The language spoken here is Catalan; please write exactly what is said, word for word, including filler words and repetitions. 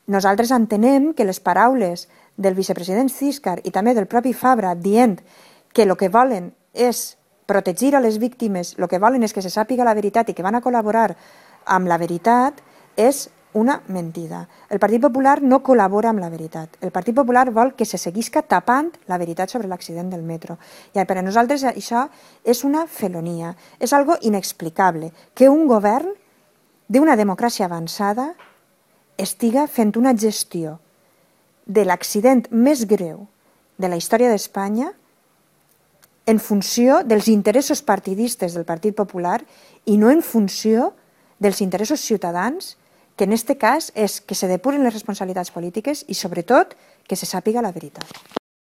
nosaltres entenem que les paraules del vicepresident Císcar i també del propi Fabra dient que el que volen és protegir a les víctimes, el que volen és que se sàpiga la veritat i que van a col·laborar amb la veritat, és una mentida. El Partit Popular no col·labora amb la veritat. El Partit Popular vol que se seguisca tapant la veritat sobre l'accident del metro. I per a nosaltres això és una felonia, és algo inexplicable, que un govern d'una democràcia avançada estiga fent una gestió de l'accident més greu de la història d'Espanya en funció dels interessos partidistes del Partit Popular i no en funció dels interessos ciutadans, que en aquest cas és que se depuren les responsabilitats polítiques i, sobretot, que se sàpiga la veritat.